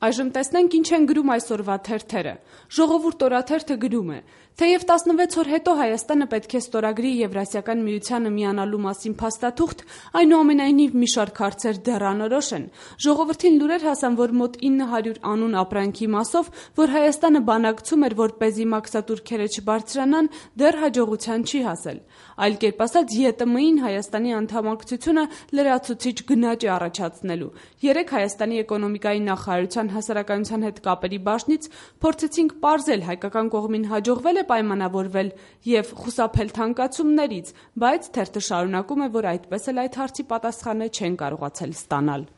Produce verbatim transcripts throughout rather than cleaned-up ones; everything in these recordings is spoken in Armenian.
Այժմ տեսնենք ինչ են գրում այսօրվա թերթերը։ Ժողովուրդ օրաթերթը գրում է. թեև տասնվեց օր հետո Հայաստանը պետք է ստորագրի Եվրասիական միությանը միանալու մասին փաստաթուղթ, այնուամենայնիվ մի շարք հարցեր դեռ անորոշ են։ Ժողովրդին լուրեր հասան, որ մոտ ինը հարյուր անուն ապրանքի մասով, որ Հայաստանը բանակցում էր, որպեսզի մաքսատուրքերը չբարձրանան, դեռ հաջողության չի հասել։ Այլ կերպ ասած, ԵՏՄ-ին Հայաստանի անդամակցությունը լրացուցիչ գնաճ է առաջացնելու։ Երեկ Հայաստանի էկոնոմիկայի նախարարության հասարակայնության հետ կապերի բաժնից փորձեցինք պարզել հայկական կողմին հաջողվել է պայմանավորվել և խուսափել թանկացումներից, բայց թերթը շարունակում է, որ այդպես էլ այդ հարցի պատասխանը չեն կարողացել ստանալ։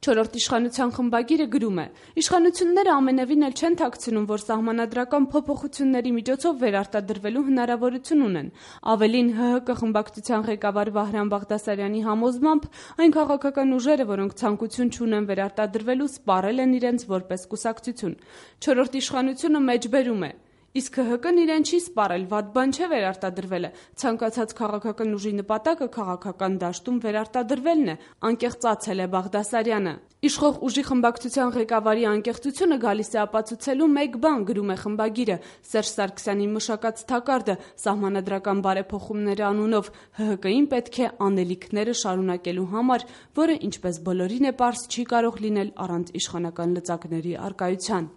Չորրորդ իշխանության խմբագիրը գրում է. իշխանությունները ամենևին էլ չեն թաքցնում, որ սահմանադրական փոփոխությունների միջոցով վերարտադրվելու հնարավորություն ունեն։ Ավելին, ՀՀԿ խմբակցության ղեկավար Վահրամ Բաղդասարյանի համոզմամբ, այն քաղաքական ուժերը, որոնք ցանկություն չունեն վերարտադրվելու, սպառել են իրենց որպես կուսակցություն։ Չորրորդ իշխանությունը մեջբերում է. իսկ ՀՀԿ-ն իրեն չի սպառել, վատ բան չէ վերարտադրվելը, ցանկացած քաղաքական ուժի նպատակը քաղաքական դաշտում վերարտադրվելն է, անկեղծացել է Բաղդասարյանը։ Իշխող ուժի խմբակցության ղեկավարի անկեղծությունը գալիս է ապացուցելու մեկ բան, գրում է խմբագիրը, Սերժ Սարգսյանի մշակած թակարդը սահմանադրական բարեփոխումներ անունով ՀՀԿ-ին պետք է անելիքները շարունակելու համար, որը, ինչպես բոլորին է պարզ, չի կարող լինել առանց իշխանական լծակների առկայության։